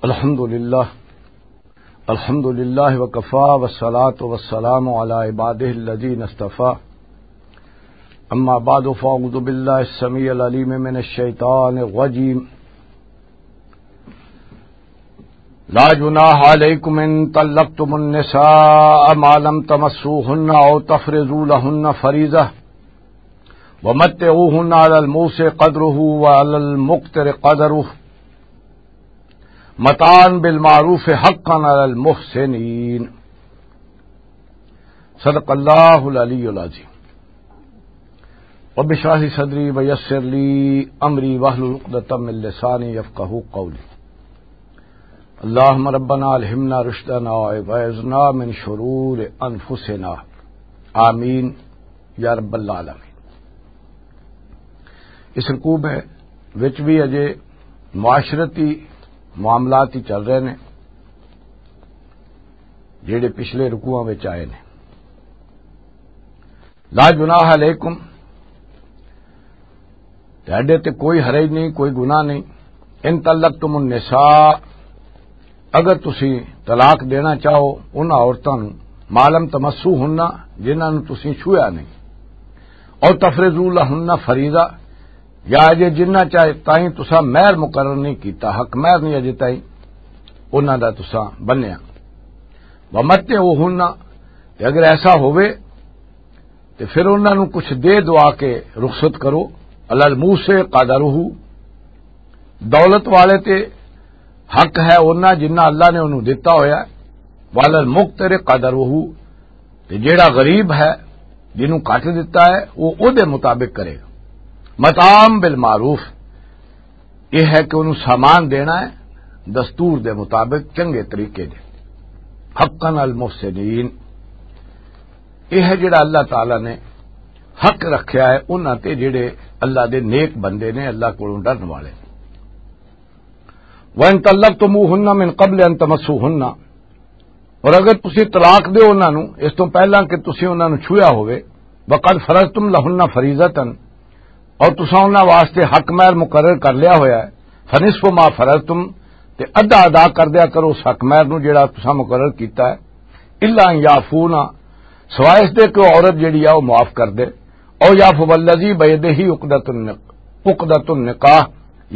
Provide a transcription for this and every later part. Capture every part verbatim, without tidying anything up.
الحمد لله. الحمد لله وكفى، والصلاة والسلام على عباده الذين اصطفى. أما بعد، فأعوذ بالله السميع العليم من الشيطان الرجيم. لا جناح عليكم إن طلقتم النساء ما لم تمسوهن أو تفرضوا لهن فريضة، ومتعوهن على الموسع قدره وعلى المقتر قدره، متاعا بالمعروف حقا على المحسنين. صدق اللہ العلی العظیم. رب اشرح لي صدري ويسر لي أمري واحلل عقدة من لساني يفقهوا قولي. اللهم ربنا ألهمنا رشدنا وأعذنا من شرور أنفسنا. آمين يا رب العالمين. اس رکوع میں وچ بھی اجے معاشرتی معاملات ہی چل رہے نے، جڑے پچھلے رکوعاں وچ آئے نے. لا جناح علیکم، تہاڈے تے کوئی حرج نہیں، کوئی گناہ نہیں. ان طلقتم النساء، اگر تسی طلاق دینا چاہو انہاں عورتاں نوں، ما لم تمسوهن، جنہاں نوں تسی چھویا نہیں، او تفرضوا لهن فريضة، یا اجے جنہ چاہے تائیں تسا مہر مقرر نہیں کیتا، حق مہر نہیں اجے تائیں انہاں دا تسا بنیا. ومتعوهن، تے اگر ایسا ہووے تے پھر انہاں نوں کچھ دے دعا کے رخصت کرو. علی الموسع قدرہ، دولت والے تے حق ہے انہاں جنہ اللہ نے انہوں دتا ہویا ہے. وعلی المقتر قدرہ، تے جیڑا غریب ہے، جنوں گھٹ دتا ہے، وہ او دے مطابق کرے گا. متاعا بالمعروف، یہ ہے کہ انہوں سامان دینا ہے دستور دے مطابق، چنگے طریقے دے. حقا علی المحسنین، یہ ہے جڑا اللہ تعالی نے حق رکھیا ہے انہاں تے، جڑے اللہ دے نیک بندے نے، اللہ کولوں ڈرن والے. وَإِن طَلَّقْتُمُوهُنَّ مِن قَبْلِ أَن تَمَسُّوهُنَّ، اور اگر تسی طلاق دیو انہاں نوں اس توں پہلاں کہ تسی انہاں نوں چھویا ہوئے، وَقَدْ فَرَضْتُمْ لَهُنَّ فَرِيضَةً، اور تساں انہاں واسطے حق مہر مقرر کر لیا ہویا ہے، فَنِصْفُ مَا فَرَضْتُمْ، تے ادھا ادا کر دیا کرو اس حق مہر نوں جڑا تساں مقرر کیتا ہے. إِلَّا أَن يَعْفُونَ، سوائے اس دے کہ وہ عورت جڑی ہے وہ معاف کر دے. أَوْ يَعْفُوَ الَّذِي بِيَدِهِ عُقْدَةُ النِّ-، عُقْدَةُ النِّكَاحِ،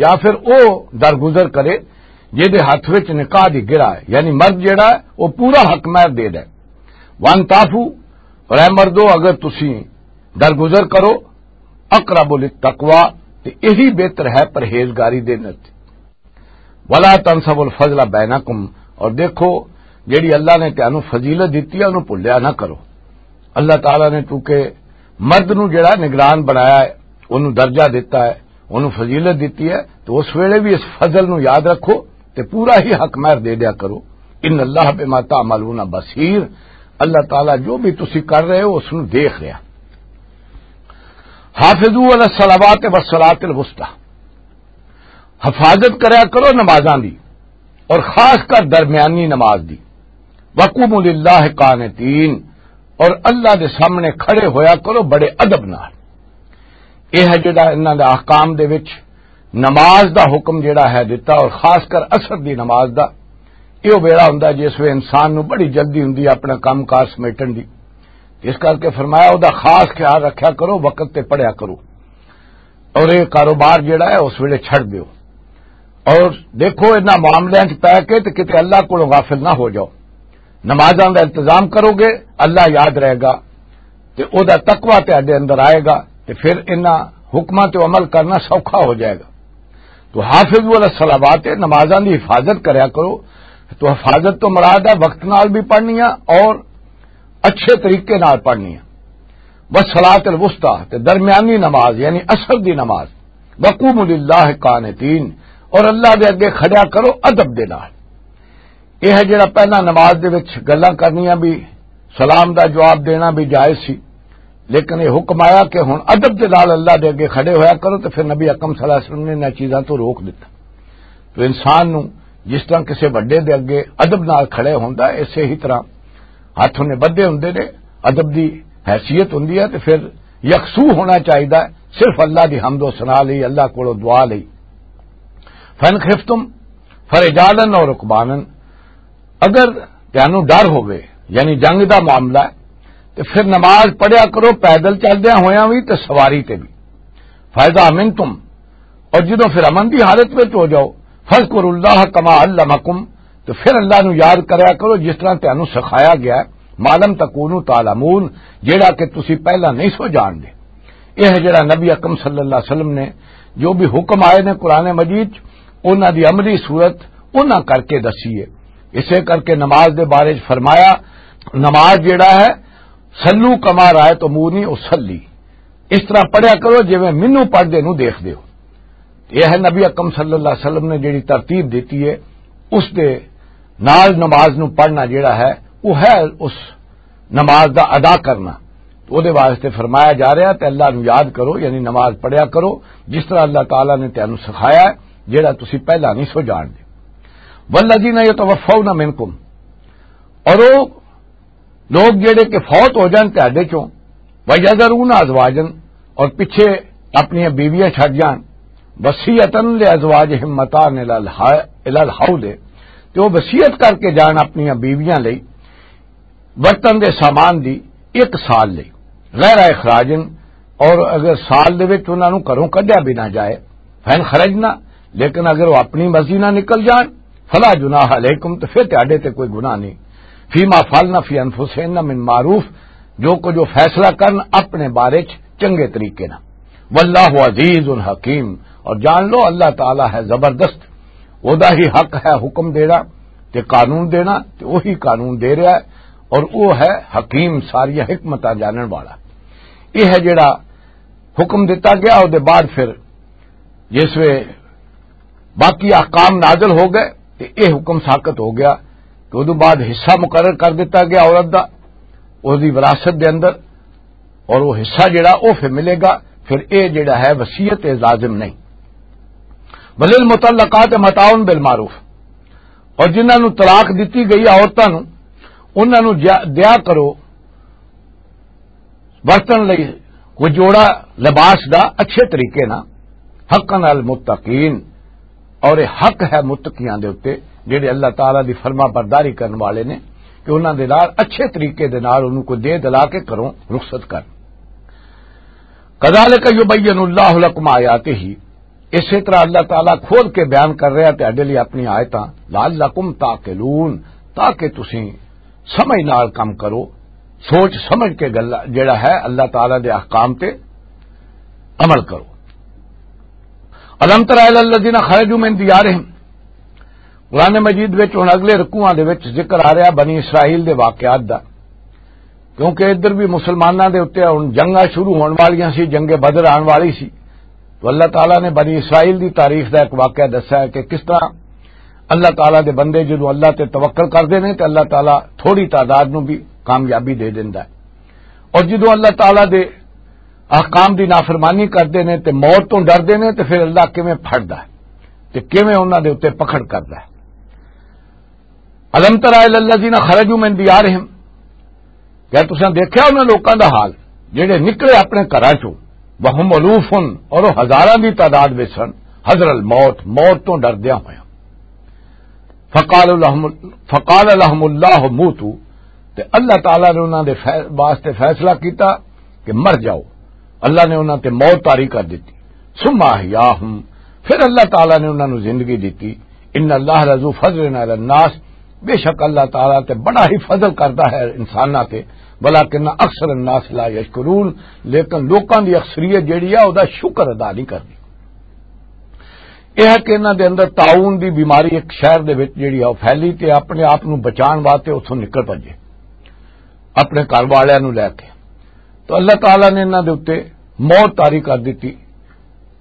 یا پھر او درگزر کرے جے دے ہاتھ وچ نکاح دی گرا ہے، یعنی مرد جڑا ہے وہ پورا حق مہر دے دے. وَأَن تَعْفُوا، اور اے مردو، اگر تسی درگزر کرو، أَقْرَبُ لِلتَّقْوَى، تے یہی بہتر ہے پرہیزگاری دے نت. وَلَا تَنْسَوُا الْفَضْلَ بَيْنَكُمْ، اور دیکھو، جڑی اللہ نے تانوں فضیلت دتی ہے، انہوں بھولیا نہ کرو. اللہ تعالیٰ نے چونکہ مرد نوں جڑا نگران بنایا ہے، انہوں درجہ دتا ہے، انہوں فضیلت دتی ہے، تو اس ویلے بھی اس فضل نوں یاد رکھو تے پورا ہی حق مہر دے دیا کرو. إِنَّ اللَّهَ بِمَا تَعْمَلُونَ بَصِيرٌ، اللہ تعالیٰ جو بھی تسی کر رہے ہو، اس نوں دیکھ رہا. حافظوا علی الصلوات والصلاۃ الوسطی، حفاظت کریا کرو نمازاں دی، اور خاص کر درمیانی نماز دی. وقوموا للہ قانتین، اور اللہ دے سامنے کھڑے ہویا کرو بڑے ادب نال. یہ ہے جڑا انہاں دے احکام دے وچ نماز دا حکم جڑا ہے دتا، اور خاص کر عصر دی نماز دا. یہ ویلا ہوندا جس وے انسان نو بڑی جلدی ہوندی ہے اپنا کام کار سمیٹن دی. اس کر کے فرمایا، او دا خاص خیال رکھیا کرو، وقت تے پڑھیا کرو، اور یہ کاروبار جڑا ہے اس ویلے چھڑ دیو. اور دیکھو، انہاں معاملیاں چ پے کے تے کتے اللہ کولوں غافل نہ ہو جاؤ. نمازاں دا انتظام کرو گے، اللہ یاد رہے گا، تے او دا تقوی تہاڈے اندر آئے گا، تے پھر انہاں حکماں تے عمل کرنا سوکھا ہو جائے گا. تو حافظوا علی الصلوات، نمازاں دی حفاظت کریا کرو. تو حفاظت تو مراد ہے وقت نال بھی پڑھنیاں اور اچھے طریقے نال پڑھنیاں. والصلاۃ الوسطی، تے درمیانی نماز یعنی عصر دی نماز. وقوموا للہ قانتین، اور اللہ دے اگے کھڑیا کرو ادب دے نال. یہ ہے جڑا پہلا نماز دے وچ گلاں کرنیاں بھی، سلام دا جواب دینا بھی جائز سی، لیکن یہ حکم آیا کہ ہن ادب دے نال اللہ دے اگے کھڑے ہویا کرو، تے پھر نبی اکرم صلی اللہ علیہ وسلم نے انہاں چیزاں تو روک دتا. تو انسان نو جس طرح کسے وڈے دے اگے ادب نال کھڑے ہوندا ہے، اسے ہی طرح ہاتھ انہیں بدھے ہوندے نے، ادب دی حیثیت ہوندی ہے، تے پھر یکسو ہونا چاہیدا ہے صرف اللہ دی حمد و ثنا لئی، اللہ کولوں دعا لئی. فَإِنْ خِفْتُمْ، فرجالن اور رکبانن، اگر تانوں ڈر ہووے، یعنی جنگ دا معاملہ ہے، تے پھر نماز پڑھیا کرو، پیدل چلدیاں ہویاں وی تے سواری تے بھی۔ فَإِذَا أَمِنْتُمْ، اور جدوں پھر امن دی حالت وچ ہو جاؤ، فَاذْكُرُوا اللَّهَ كَمَا عَلَّمَكُمْ، تو پھر اللہ نو یاد کریا کرو جس طرح تانوں سکھایا گیا ہے، مَا لَمْ تَكُونُوا تَعْلَمُونَ، جیڑا کہ تسی پہلا نہیں سو جان دے۔ یہ ہے جڑا نبی اکرم صلی اللہ علیہ وسلم نے جو بھی حکم آئے نے قرآن مجید، انہاں دی عملی صورت انہاں کر کے دسی ہے۔ اسے کر کے نماز دے بارے چ فرمایا، نماز جڑا ہے، "صلوا کما رأیتمونی اصلی"، اس طرح پڑھیا کرو جویں مینوں پڑھدے نوں دیکھدے ہو۔ یہ ہے نبی اکرم صلی اللہ علیہ وسلم نے جڑی ترتیب دیتی ہے، اس دے نال نماز نوں پڑھنا جڑا ہے، وہ ہے اس نماز دا ادا کرنا۔ تو او دے واسطے فرمایا جا رہا تے اللہ نو یاد کرو، یعنی نماز پڑھیا کرو جس طرح اللہ تعالیٰ نے تینوں سکھایا ہے، جڑا تسی پہلا نہیں سو جان دے۔ والذین یتوفون منکم، اور وہ لوگ جڑے کہ فوت ہو جان تہاڈے چوں، وَيَذَرُونَ أَزْوَاجًا، اور پیچھے اپنی بیویاں چھڈ جان، وَصِيَّةً لِأَزْوَاجِهِمْ مَتَاعًا إِلَى الْحَ-، إِلَى الْحَوْلِ، تے وہ وصیت کر کے جان اپنی بیویاں لئی برتن دے سامان دی ایک سال لئی، غیر اخراجن، اور اگر سال دے وچ انہاں نوں گھروں کڈیا بھی نہ جائے، فین خرجنا، لیکن اگر وہ اپنی مرضی نہ نکل جان، فلا جناح علیکم، تو پھر تہاڈے تے کوئی گناہ نہیں، فیما فعلن فی انفسہن من معروف، جو کچھ وہ فیصلہ کرن اپنے بارے چ چنگے طریقے نال، واللہ عزیز حکیم، اور جان لو اللہ تعالیٰ ہے زبردست، او دا ہی حق ہے حکم دینا تے قانون دینا، تے وہی قانون دے رہا ہے، اور وہ ہے حکیم، ساری حکمتاں جانن والا۔ یہ ہے جڑا حکم دتا گیا، او دے بعد پھر جس وے باقی احکام نازل ہو گئے تے یہ حکم ساقط ہو گیا، تو ادو بعد حصہ مقرر کر دیتا گیا عورت دا، اس دی وراثت دے اندر، اور وہ حصہ جڑا وہ پھر ملے گا، پھر یہ جڑا ہے وصیت، یہ لازم نہیں۔ وللمطلقات متاع بالمعروف، اور جنہاں نوں طلاق دتی گئی عورتاں نوں، انہاں نوں جا-، دیا کرو ورتن لئی کوئی جوڑا لباس دا اچھے طریقے نال، حقا علی المتقین، اور یہ حق ہے متقیاں دے اُتے، جڑے اللہ تعالیٰ دی فرما برداری کرن والے نے، کہ انہاں دے نال اچھے طریقے دے نال انہوں کو دے دلا کے کروں رخصت کر۔ کذالک یبین اللہ لکم آیاتہ، اسی طرح اللہ تعالیٰ کھول کے بیان کر رہا تہاڈے لئی اپنی آیتاں، لعلکم تعقلون، تاکہ تسی سمجھ نال کم کرو، سوچ سمجھ کے گلا جڑا ہے اللہ تعالیٰ دے احکام تے عمل کرو۔ الم تر الی الذین خرجوا من دیارہم، قرآن مجید وچ ہن اگلے رکوعاں دے وچ ذکر آ رہا بنی اسرائیل دے واقعات دا، کیونکہ ادھر بھی مسلماناں دے اُتے ہن جنگاں شروع ہون والیاں سی، جنگ بدر آن والی سی۔ تو اللہ تعالیٰ نے بنی اسرائیل دی تاریخ دا ایک واقعہ دسا ہے کہ کس طرح اللہ تعالیٰ دے بندے جدوں اللہ تے توکل کردے نے تے اللہ تعالیٰ تھوڑی تعداد نوں بھی کامیابی دے دیندا ہے، اور جدوں اللہ تعالیٰ دے احکام دی نافرمانی کردے نے تے موت تو ڈردے نے تے پھر اللہ کیویں پھڑدا ہے تے کیویں انہاں دے اُتے پکڑ کردا ہے۔ الم تر الی الذین خرجوا من دیارہم، کیا تساں دیکھیا انہاں لوکاں دا حال جڑے نکلے اپنے گھراں چوں؟ وہم الوف، اور وہ ہزاراں دی تعداد وچ سن، حذر الموت، موت تو ڈردیاں ہویاں۔ فقال لهم، فقال لهم اللہ موتوا، تے اللہ تعالیٰ نے انہاں دے فی-، واسطے فیصلہ کیتا کہ مر جاؤ۔ اللہ نے انہاں تے موت طاری کر دتی۔ ثم احیاہم، پھر اللہ تعالیٰ نے انہاں نوں زندگی دتی۔ ان اللہ لذو فضل علی الناس، بے شک اللہ تعالیٰ تے بڑا ہی فضل کردا ہے انساناں تے، ولکن اکثر الناس لا یشکرون، لیکن لوکاں دی اکثریت جیڑی ہے او دا شکر ادا نہیں کردی۔ یہ ہے کہ انہاں دے اندر طاعون دی بیماری ایک شہر دے وچ جیڑی ہے او پھیلی تے اپنے آپ نوں بچان واسطے اتھوں نکل پجے، اپنے گھر والیاں نوں لے کے۔ تو اللہ تعالیٰ نے انہاں دے اُتے موت طاری کر دتی۔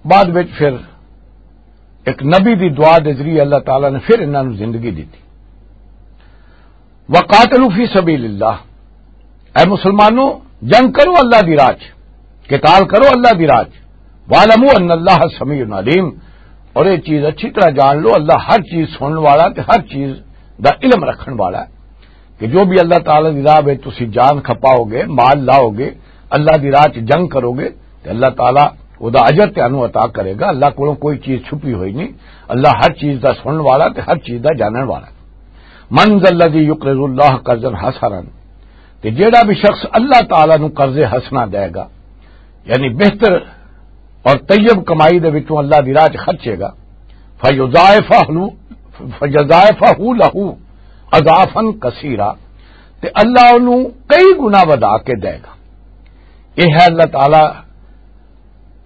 بعد وچ پھر ایک نبی دی دعا دے ذریعے اللہ تعالیٰ نے پھر انہاں نوں زندگی دتی۔ وقاتلوا فی سبیل اللہ، اے مسلمانوں، جنگ کرو اللہ دی راہ چ، قتال کرو اللہ دی راہ چ۔ واعلموا ان اللہ سمیع علیم، اور یہ چیز اچھی طرح جان لو، اللہ ہر چیز سنن والا تے ہر چیز دا علم رکھن والا ہے، کہ جو بھی اللہ تعالیٰ دی راہ وچ تسی جان کھپاؤ گے، مال لاؤ گے، اللہ دی راہ چ جنگ کرو گے، تے اللہ تعالیٰ او دا اجر تانوں عطا کرے گا۔ اللہ کولوں کوئی چیز چھپی ہوئی نہیں۔ اللہ ہر چیز دا سنن والا تے ہر چیز دا جانن والا۔ من ذا الذی یقرض اللہ قرضا حسنا، تے جیڑا بھی شخص اللہ تعالیٰ نو قرض حسنا دے گا، یعنی بہتر اور طیب کمائی دے وچوں اللہ دی راہ چ خرچے گا، فیضاعفہ لہ، فیضاعفہ لہ اضعافا کثیرا، تے اللہ انہوں کئی گنا ودھا کے دے گا۔ یہ ہے اللہ تعالیٰ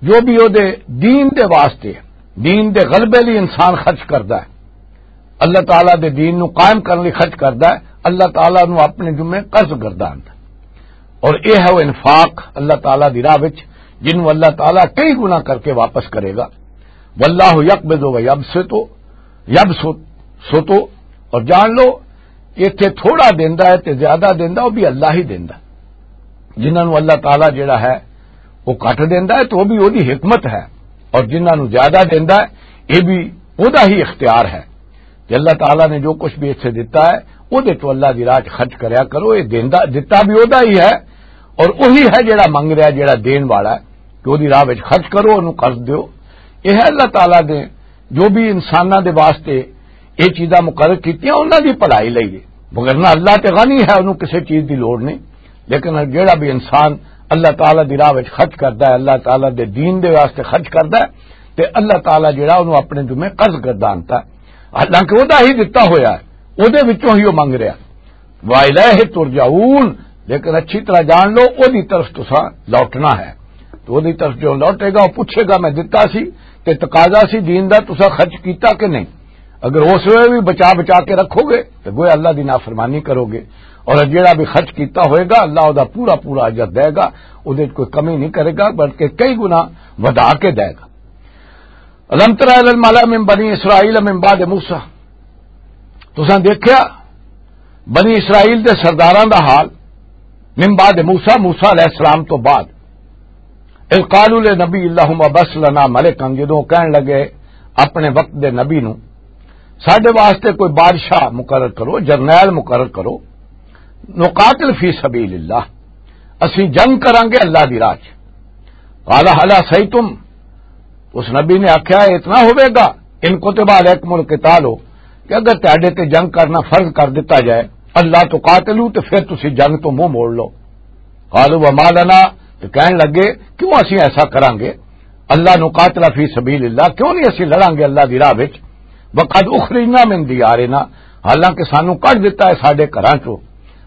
جو بھی او دے دین دے واسطے، دین دے غلبے لئی انسان خرچ کردا ہے، اللہ تعالیٰ دے دین نو قائم کرنے لئی خرچ کردا ہے، اللہ تعالیٰ نو اپنے ذمے قرض گرداندا ہے۔ اور یہ ہے وہ انفاق اللہ تعالیٰ دی راہ وچ، جنوں اللہ تعالیٰ کئی گنا کر کے واپس کرے گا۔ واللہ یقبض و یبسط، یبسط، سطو، اور جان لو، ایتھے تھوڑا دیندا ہے تے زیادہ دیندا، وہ بھی اللہ ہی دیندا۔ جنہاں نوں اللہ تعالیٰ جڑا ہے، وہ گھٹ دیندا ہے، تو وہ بھی وہی حکمت ہے، اور جنہاں نوں زیادہ دیندا ہے، یہ بھی وہدا ہی اختیار ہے۔ کہ اللہ تعالیٰ نے جو کچھ بھی ایتھے دتا ہے، وہ دے تو اللہ دی راہ چ خرچ کریا کرو۔ یہ دیندا، دتا بھی وہدا ہی ہے، اور وہی ہے جڑا منگ رہا، جڑا دین والا ہے، کہ وہدی راہ وچ خرچ کرو، انہوں قرض دیو۔ یہ ہے اللہ تعالیٰ دے جو بھی انساناں دے واسطے یہ چیزاں مقرر کیتیاں، انہاں دی بھلائی لئی ہے۔ مگر نہ، اللہ تے غنی ہے، انہوں کسے چیز دی لوڑ نہیں۔ لیکن جیڑا بھی انسان اللہ تعالیٰ دی راہ وچ خرچ کردا ہے، اللہ تعالیٰ دے دین دے واسطے خرچ کردا ہے، تے اللہ تعالیٰ جیڑا انہوں اپنے ذمے قرض گردانتا ہے، حالانکہ وہدا ہی دتا ہویا ہے، وہدے وچوں ہی وہ منگ رہا۔ وَإِلَيْهِ تُرْجَعُونَ، لیکن اچھی طرح جان لو، وہدی طرف تساں لوٹنا ہے۔ تو وہدی طرف جو لوٹے گا، وہ پوچھے گا، "میں دتا سی تے تقاضا سی دین دا، تساں خرچ کیتا کہ نہیں؟" اگر اس ویلے بھی بچا بچا کے رکھو گے، تو گویا اللہ دی نافرمانی کرو گے۔ اور جیڑا بھی خرچ کیتا ہوئے گا، اللہ او دا پورا پورا اجر دے گا، او دے کوئی کمی نہیں کرے گا، بلکہ کئی گنا ودھا کے دے گا۔ الم تر الی الملأ من بنی اسرائیل من بعد موسیٰ، تساں دیکھیا بنی اسرائیل دے سرداراں دا حال، من بعد موسیٰ، موسیٰ علیہ السلام تو بعد، اذ قالوا لنبی اللہم ابعث لنا ملکا، جدوں کہن لگے اپنے وقت دے نبی نو، ساڈے واسطے کوئی بادشاہ مقرر کرو، جرنیل مقرر کرو، نقاتل فی سبیل اللہ، اسی جنگ کرانگے اللہ دی راہ چ۔ قال هل عسیتم، اس نبی نے آکھیا، "اتنا ہوے گا، ان کتب علیکم القتال ہو، کہ اگر تہاڈے تے جنگ کرنا فرض کر دتا جائے، اللہ تقاتلوا، تے پھر تسی جنگ تو منہ موڑ لو۔" قالوا وما لنا، تے کہن لگے، "کیوں اسی ایسا کرانگے؟ اللہ نقاتل فی سبیل اللہ، کیوں نہیں اسی لڑانگے اللہ دی راہ وچ؟ وقد اخرجنا من دیارنا، حالانکہ سانو کڈ دتا ہے ساڈے گھراں چوں،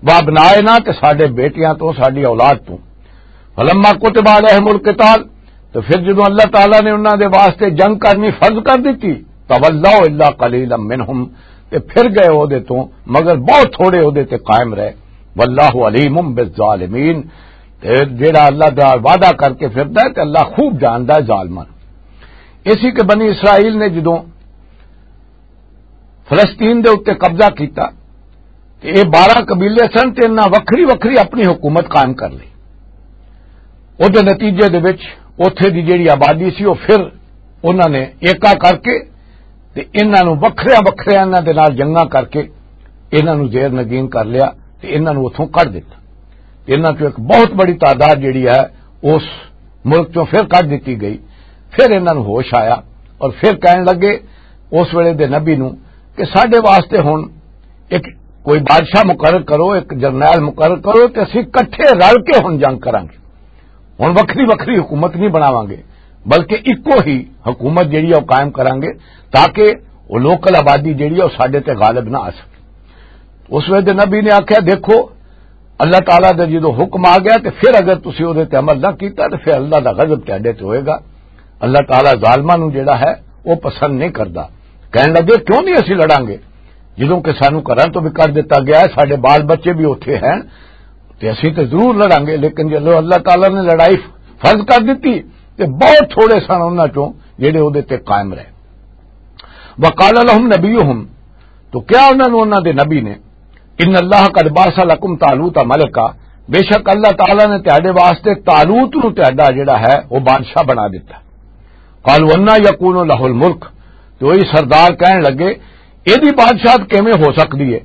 وابنائنا، تے ساڈے بیٹیاں تو، ساڈی اولاد تو۔" فلما کتب علیہم القتال، تو پھر جدوں اللہ تعالیٰ نے انہاں دے واسطے جنگ کرنی فرض کر دتی، تولوا الا قلیلا منہم، تے پھر گئے او دے تو، مگر بہت تھوڑے او دے تے قائم رہے۔ واللہ علیم بالظالمین، تے جیڑا اللہ دا وعدہ کر کے پھردا ہے تے اللہ خوب جاندا ہے ظالماں نوں۔ اسی کہ بنی اسرائیل نے جدوں فلسطین دے اُتے قبضہ کیتا، تے اے بارہ قبیلے سن، تے انہاں وکھری وکھری اپنی حکومت قائم کر لئی۔ اودے نتیجے دے وچ اوتھے دی جیڑی آبادی سی، او پھر انہاں نے ایکا کر کے تے انہاں نوں وکھریاں وکھریاں انہاں دے نال جنگاں کر کے انہاں نوں زیر نگین کر لیا تے انہاں نوں اتھوں کڈ دتا۔ تے انہاں چوں ایک بہت بڑی تعداد جیڑی ہے، اس ملک چوں پھر کڈ دتی گئی۔ پھر انہاں نوں ہوش آیا اور پھر کہن لگے اس ویلے دے نبی نوں کہ ساڈے واسطے ہن ایک کوئی بادشاہ مقرر کرو، ایک جرنیل مقرر کرو، تے اسی کٹھے رل کے ہن جنگ کراں گے۔ ہن وکھری وکھری حکومت نہیں بناواں گے، بلکہ اکو ہی حکومت جیڑی ہے وہ قائم کراں گے، تاکہ وہ لوکل آبادی جیڑی ہے وہ ساڈے تے غالب نہ آ سکے۔ اس ویلے نبی نے آکھیا، "دیکھو، اللہ تعالیٰ دا جدوں حکم آ گیا تے پھر اگر تسی اودے تے عمل نہ کیتا تے پھر اللہ دا غضب تہاڈے تے ہوئے گا۔ اللہ تعالیٰ ظالماں نوں جیڑا ہے وہ پسند نہیں کردا۔" کہن لگے، "کیوں نہیں اسی لڑاں گے؟ جدوں کہ سانوں گھراں تو بھی کر دتا گیا ہے، ساڈے بال بچے بھی اوتھے ہیں، تے اسی تے ضرور لڑاں گے۔" لیکن جدوں اللہ تعالیٰ نے لڑائی فرض کر دتی تے بہت تھوڑے سن انہاں چوں جیڑے اودے تے قائم رہے۔ وقال لهم نبيهم، تو کیا انہاں نوں انہاں دے نبی نے، "ان اللہ قد بعث لكم طالوت ملكا"، بے شک اللہ تعالیٰ نے تہاڈے واسطے طالوت نوں تہاڈا جڑا ہے وہ بادشاہ بنا دتا۔ قالوا انا يكون له الملك، تو وہی سردار کہن لگے، "ایدی بادشاہت کیویں ہو سکدی ہے؟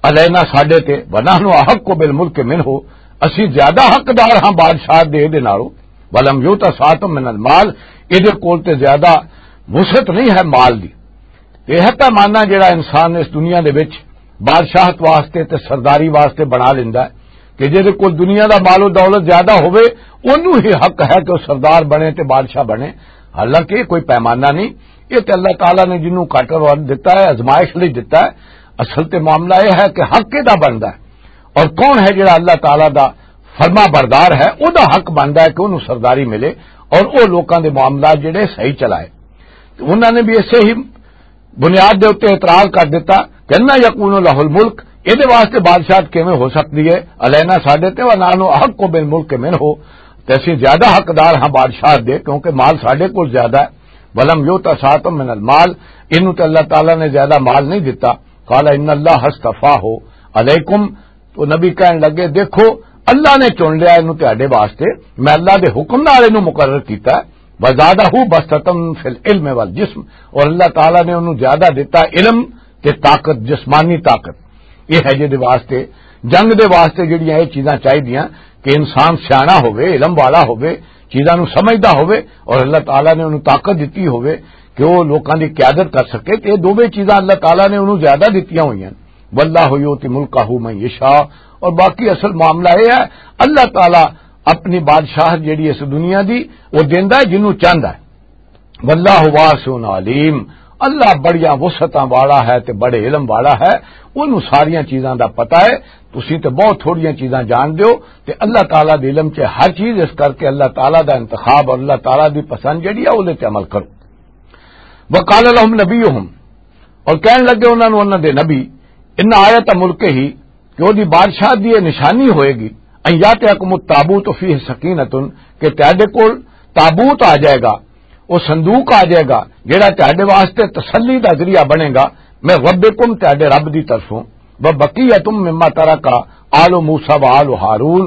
علینا، ساڈے تے، ونحن احق بالملك منه، اسی زیادہ حقدار ہاں بادشاہت دے، دے نالوں۔" ولم یؤت سعۃ من المال، ایہدے کول تے زیادہ وسعت نہیں ہے مال دی۔ تے ایہہ پیمانہ جڑا انسان اس دنیا دے وچ بادشاہت واسطے تے سرداری واسطے بنا لیندا ہے کہ جہدے کول دنیا دا مال و دولت زیادہ ہوئے، اونوں ہی حق ہے کہ وہ سردار بنے تے بادشاہ بنے۔ حالانکہ یہ کوئی پیمانہ نہیں، یہ تے اللہ تعالیٰ نے جنوں گھٹ اور ودھ دتا ہے، آزمائش لئی دتا ہے۔ اصل تے معاملہ یہ ہے کہ حق کہدا بندا ہے اور کون ہے جڑا اللہ تعالیٰ دا فرما بردار ہے، او دا حق بندا ہے کہ اونوں سرداری ملے اور او لوکاں دے معاملات جڑے صحیح چلائے۔ تے انہاں نے بھی اسے ہی بنیاد دے اُتے اعتراض کر دتا کہ نہ یکون لہ الملک، اے دے واسطے بادشاہت کیویں ہو سکدی ہے؟ علینا ساڈے تے، ونحن احق بالملک منہ، تے اسی زیادہ حقدار ہاں بادشاہت دے، کیونکہ مال ساڈے کول زیادہ ہے۔ ولم یؤت سعۃ من المال، اینوں تے اللہ تعالیٰ نے زیادہ مال نہیں دتا۔ قال ان اللہ اصطفاہ علیکم، تو نبی کہن لگے، دیکھو، اللہ نے چن لیا اینوں تہاڈے واسطے، میں اللہ دے حکم نال اینوں مقرر کیتا ہے۔ وزادہ بسطۃ فی العلم والجسم، اور اللہ تعالیٰ نے انہوں زیادہ دیتا علم تے طاقت، جسمانی طاقت۔ یہ ہے جہدے واسطے، جنگ دے واسطے جڑیاں یہ چیزاں چاہیدیاں کہ انسان سیاݨا ہووے، علم والا ہووے، چیزاں نوں سمجھدا ہووے، اور اللہ تعالیٰ نے انہوں طاقت دتی ہووے کہ وہ لوکاں دی قیادت کر سکے۔ تے یہ دوویں چیزاں اللہ تعالیٰ نے انہوں زیادہ دتیاں ہوئیاں۔ واللہ یؤتی ملکہ من یشاء، اور باقی اصل معاملہ یہ ہے، اللہ تعالیٰ اپنی بادشاہت جڑی اس دنیا دی، وہ دیندا ہے جنوں چاہندا ہے۔ واللہ واسع علیم، اللہ بڑیاں وسعتاں والا ہے تے بڑے علم والا ہے، اونوں ساریاں چیزاں دا پتہ ہے۔ تسی تے بہت تھوڑیاں چیزاں جان دیو، تے اللہ تعالیٰ دے علم چ ہر چیز، اس کر کے اللہ تعالیٰ دا انتخاب اور اللہ تعالیٰ دی پسند جڑی ہے، اودے تے عمل کرو۔ وقال لهم نبيهم، اور کہن لگے انہاں نوں انہاں دے نبی، ان آیت ملک ہی، کہ وہ دی بادشاہ دی یہ نشانی ہوئے گی، ان یاتیکم التابوت فیہ سکینۃ، کہ تہاڈے کول تابوت آ جائے گا، وہ صندوق آ جائے گا، جڑا تہاڈے واسطے تسلی دا ذریعہ بنے گا، من ربکم، تہاڈے رب دی طرفوں، وبقیۃ مما ترک آل موسیٰ و آل ہارون،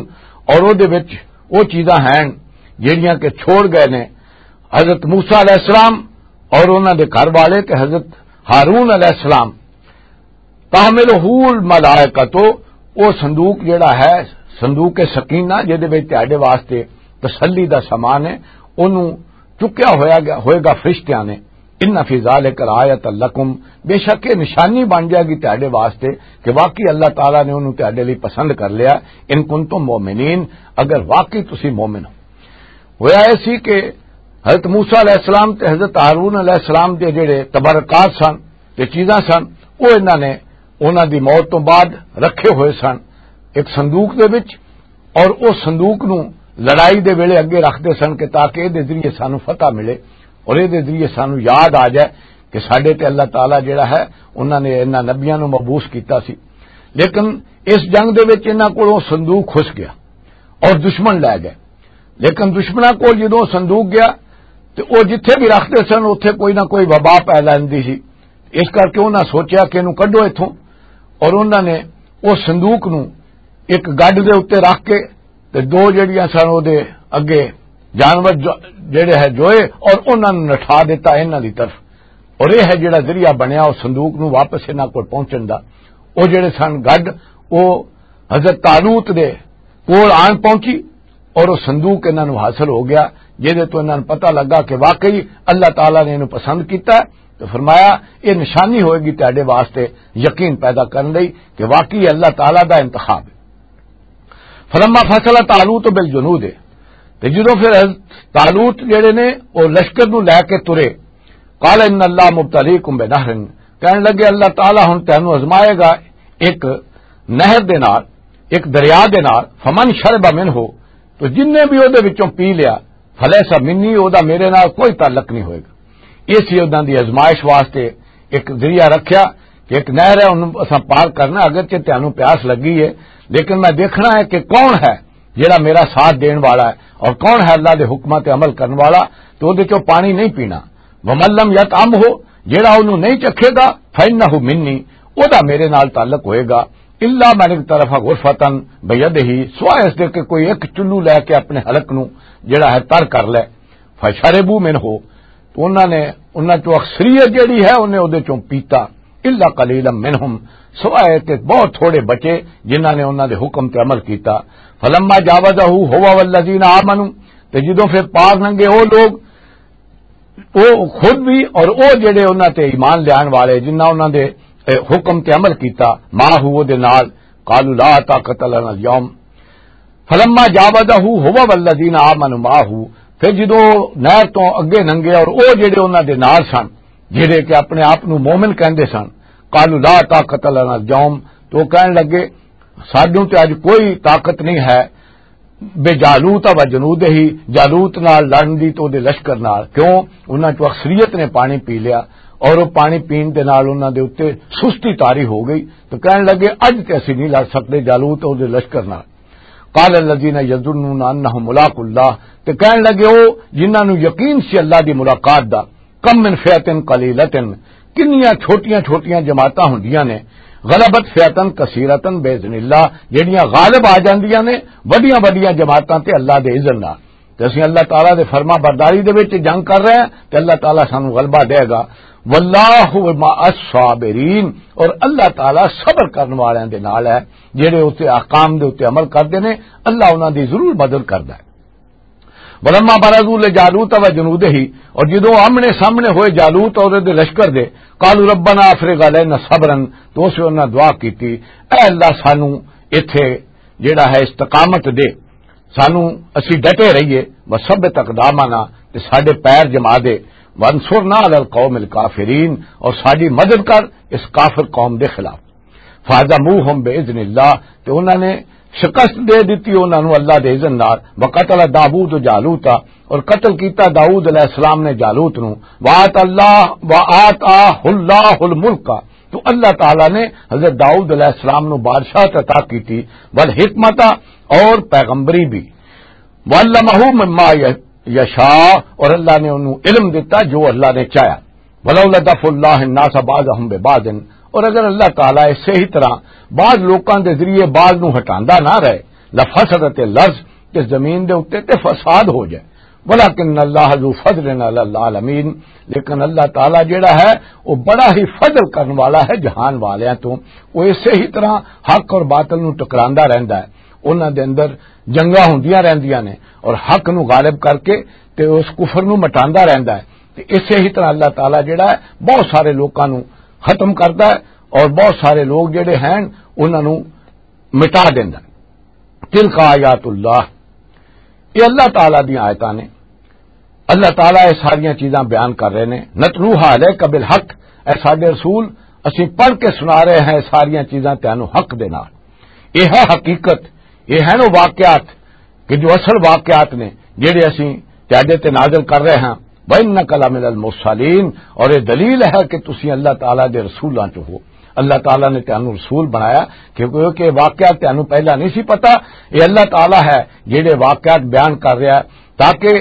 اور او دے وچ وہ چیزاں ہیں جڑیاں کہ چھوڑ گئے نے حضرت موسیٰ علیہ السلام اور انہاں دے گھر والے تے حضرت ہارون علیہ السلام۔ تحملہ الملائکۃ، او صندوق جڑا ہے، صندوق سکینہ، جدے وچ تہاڈے واسطے تسلی دا سامان ہے، اونوں چکیا ہویا گیا، ہوئے گا فرشتیاں نے۔ ان فی ذالک لآیۃ لکم، بے شک یہ نشانی بن جائے گی تہاڈے واسطے کہ واقعی اللہ تعالیٰ نے اونوں تہاڈے لئی پسند کر لیا۔ ان کنتم مؤمنین، اگر واقعی تسی مومن ہو۔ ہویا ایسی کہ حضرت موسیٰ علیہ السلام تے حضرت ہارون علیہ السلام دے جڑے تبرکات سن تے چیزاں سن، وہ انہاں نے انہاں دی موت تو بعد رکھے ہوئے سن ایک صندوق دے وچ، اور اس صندوق نو لڑائی دے ویلے اگے رکھدے سن کہ تاکہ اے دے ذریعے سانو فتح ملے اور اے دے ذریعے سانو یاد آ جائے کہ ساڈے تے اللہ تعالیٰ جڑا ہے، انہاں نے انہاں نبیاں نو مبعوث کیتا سی۔ لیکن اس جنگ دے وچ انہاں کولوں صندوق کھس گیا اور دشمن لے گئے۔ لیکن دشمناں کول جدوں صندوق گیا تے او جتھے بھی رکھدے سن، اتھے کوئی نہ کوئی وبا پھیلا لیندی سی۔ اس کر کے انہاں سوچیا کہ اینوں کڈو اتھوں، اور انہاں نے اس صندوق نوں ایک گڈ دے اُتے رکھ کے تے دو جڑیاں سن او دے اگے جانور جو، جڑے ہے جوئے، اور انہاں نوں نٹھا دیتا انہاں دی طرف۔ اور یہ ہے جڑا ذریعہ بنیا اس صندوق نوں واپس انہاں کول پہنچن دا۔ او جڑے سن گڈ، او حضرت طالوت دے کول آن پہنچی اور وہ صندوق انہاں نوں حاصل ہو گیا، جہدے تو انہاں نوں پتہ لگا کہ واقعی اللہ تعالیٰ نے انہوں پسند کیتا ہے۔ تو فرمایا، یہ نشانی ہوئے گی تہاڈے واسطے یقین پیدا کرن لئی کہ واقعی اللہ تعالیٰ دا انتخاب ہے۔ فلما فصل طالوت بالجنود، تے جدوں پھر حضرت طالوت جڑے نے، وہ لشکر نوں لے کے ترے، قال ان اللہ مبتلیکم بنہر، کہن لگے، اللہ تعالیٰ ہن تینوں آزمائے گا ایک نہر دے نال، ایک دریا دے نال، فمن شرب منہ، تو جن نے بھی او دے وچوں پی لیا، فلیس منی، او دا میرے نال کوئی تعلق نہیں ہوئے گا۔ یہ سی انہاں دی آزمائش واسطے ایک ذریعہ رکھیا کہ ایک نہر ہے، انہوں اساں پار کرنا، اگرچہ تینوں پیاس لگی ہے، لیکن میں دیکھنا ہے کہ کون ہے جڑا میرا ساتھ دین والا ہے اور کون ہے اللہ دے حکماں تے عمل کرن والا، تو او دے چوں پانی نہیں پینا۔ ومن لم یطعمہ، جڑا انہوں نہیں چکھے گا، فإنہ منی، او دا میرے نال تعلق ہوئے گا۔ الا من اغترف غرفة بیدہ، سوائے اس دے کہ کوئی ایک چلو لے کے اپنے حلق نو جڑا ہے تر کر لے۔ فشربوا منہ، تو انہاں نے، انہاں چوں اکثریت جڑی ہے، انہیں او دے چوں پیتا۔ الا قلیلا منہم، سوائے تے بہت تھوڑے بچے جنہاں نے انہاں دے حکم تے عمل کیتا۔ فلما جاوزہ ہوا والذین آمنوا، تے جدوں پھر پار لنگے او لوگ، او خود بھی اور او جڑے انہاں تے ایمان لیان والے، جنہاں انہاں دے، اے، حکم تے عمل کیتا، ما ہو دے نال، قالوا لا طاقت لنا اليوم، فلما جاوزه هو والذين آمنوا معه، پھر جدوں نہر تو اگے لنگے اور او جڑے انہاں دے نال سن، جڑے کہ اپنے آپ نو مومن کہندے سن، قالوا لا طاقت لنا اليوم، تو کہن لگے، سانوں تے اج کوئی طاقت نہیں ہے، بے جالوت و جنود ہی، جالوت نال لڑن دی تو دے لشکر نال۔ کیوں؟ انہاں چوں اکثریت نے پانی پی لیا اور وہ پانی پین دے نال انہاں دے اُتے سستی طاری ہو گئی، تو کہن لگے، اج تے اسی نہیں لڑ سکدے جالوت اور دے لشکر نال۔ قال الذين يظنون انهم ملاقو الله، تے کہن لگے، او جنہاں نوں یقین سی اللہ دی ملاقات دا، کم من فئة قليلة، کنیاں چھوٹیاں چھوٹیاں جماعتاں ہوندیاں نے، غلبت فئة كثيرة بإذن الله، جڑیاں غالب آ جاندیاں نے وڈیاں وڈیاں جماعتاں تے اللہ دے اذن نال۔ تے اسیں اللہ تعالیٰ دے فرما برداری دے وچ جنگ کر رہے ہیں تے اللہ تعالیٰ سانو غلبہ دے گا۔ واللہ مع الصابرین، اور اللہ تعالیٰ صبر کرن والیاں دے نال ہے، جڑے اس احکام دے اُتے عمل کردے نے، اللہ انہاں دی ضرور مدد کردا ہے۔ ولما برزوا لجالوت وجنوده، اور جدوں آمنے سامنے ہوئے جالوت اور دے لشکر دے، قالوا ربنا افرغ علينا صبرا، تو اس انہاں دعا کیتی، اے اللہ سانو ایتھے جڑا ہے استقامت دے، سانو اسی ڈٹے رہیے، وثبت اقدامنا، تے ساڈے پیر جما دے، وانصرنا علی القوم الکافرین، اور ساڈی مدد کر اس کافر قوم دے خلاف۔ فہزموہم باذن اللہ، تے انہاں نے شکست دے دتی انہاں نوں اللہ دے اذن نال۔ وقتل داوود جالوتا، اور قتل کیتا داؤد علیہ السلام نے جالوت نوں۔ وآت اللہ، وآتاہ اللہ الملک، تو اللہ تعالیٰ نے حضرت داؤد علیہ السلام نوں بادشاہت عطا کیتی، والحکمت، اور پیغمبری بھی، وعلمہ مما یشاء، اور اللہ نے انہوں علم دیتا جو اللہ نے چاہیا۔ ولولا دفع اللہ الناس بعضهم ببعض، اور اگر اللہ تعالیٰ اسے ہی طرح بعض لوکاں دے ذریعے بعض نوں ہٹاندا نہ رہے، لفسدت الارض، تے زمین دے اُتے تے فساد ہو جائے۔ ولکن اللہ ذو فضل علی العالمین، لیکن اللہ تعالیٰ جڑا ہے، وہ بڑا ہی فضل کرن والا ہے جہان والیاں تو۔ وہ اسے ہی طرح حق اور باطل نوں ٹکراندا رہندا ہے۔ انہاں دے اندر جنگاں ہوندیاں رہندیاں نے اور حق نوں غالب کر کے تے اس کفر نوں مٹاندا رہندا ہے۔ تے اسے ہی طرح اللہ تعالیٰ جڑا ہے، بہت سارے لوکاں نوں ختم کردا ہے اور بہت سارے لوگ جڑے ہیں، انہاں نوں مٹا دیندا ہے۔ تلک آیات اللہ، یہ اللہ تعالیٰ دی آیتاں نے۔ اللہ تعالیٰ یہ ساریاں چیزاں بیان کر رہے نے۔ نتلوہا علیک بالحق، اے ساڈے رسول، اسیں پڑھ کے سنا رہے ہیں ساریاں چیزاں تینوں حق دے نال۔ یہ ہے حقیقت، یہ ہیں وہ واقعات کہ جو اصل واقعات نے جڑے اسیں تیاڈے تے نازل کر رہے ہیں۔ وَإِنَّكَ لَمِنَ الْمُرْسَلِينَ، اور یہ دلیل ہے کہ تسی اللہ تعالیٰ دے رسولاں چوں ہو۔ اللہ تعالیٰ نے تینوں رسول بنایا، کیونکہ یہ واقعات تینوں پہلا نہیں سی پتا۔ یہ اللہ تعالیٰ ہے جڑے واقعات بیان کر رہا ہے، تاکہ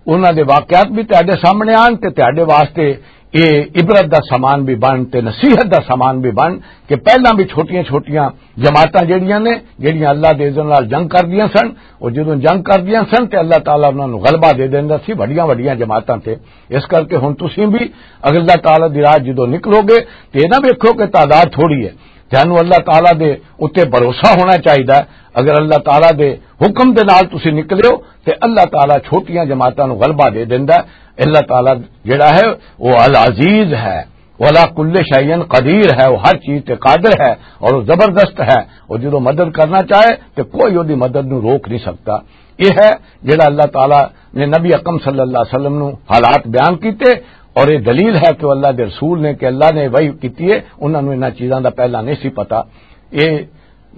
انہاں دے واقعات بھی تہاڈے سامنے آن تے تہاڈے واسطے یہ عبرت دا سامان بھی بن تے نصیحت دا سامان بھی بن، کہ پہلاں بھی چھوٹیاں چھوٹیاں جماعتاں جڑیاں نے، جڑیاں اللہ دے اذن نال جنگ کردیاں سن، اور جدوں جنگ کردیاں سن تے اللہ تعالیٰ انہاں نوں غلبہ دے دیندا سی وڈیاں وڈیاں جماعتاں تے۔ اس کر کے ہن تسیں بھی اگر اللہ تعالیٰ دی راہ جدوں نکلو گے تے یہ نہ ویکھو کہ تعداد تھوڑی ہے، تینوں اللہ تعالیٰ دے اُتے بھروسہ ہونا چاہیدا ہے۔ اگر اللہ تعالیٰ دے حکم دے نال تسی نکلے ہو تے اللہ تعالیٰ چھوٹیاں جماعتاں نوں غلبہ دے دیندا ہے۔ اللہ تعالیٰ جڑا ہے، وہ العزیز ہے، وہ علی کل شیء قدیر ہے، وہ ہر چیز تے قادر ہے اور وہ زبردست ہے۔ اور جدوں مدد کرنا چاہے تے کوئی اودی مدد نوں روک نہیں سکتا۔ یہ ہے جڑا اللہ تعالیٰ نے نبی اکرم صلی اللہ علیہ وسلم نوں حالات بیان کیتے، اور یہ دلیل ہے کہ وہ اللہ دے رسول نے، کہ اللہ نے وحی کیتی ہے، انہاں نوں انہاں چیزاں دا پہلا نہیں سی پتا۔ یہ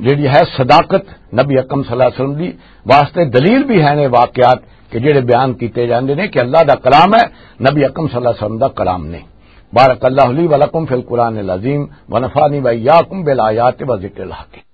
جڑی ہے صداقت نبی اکرم صلی اللہ علیہ وسلم دی واسطے دلیل بھی ہے نے واقعات کہ جڑے بیان کیتے جاندے نے کہ اللہ دا کلام ہے، نبی اکرم صلی اللہ علیہ وسلم دا کلام نہیں۔ بارک اللہ لی و لکم فی القرآن العظیم و نفعنی و ایاکم بالآیات و ذکر الحکیم۔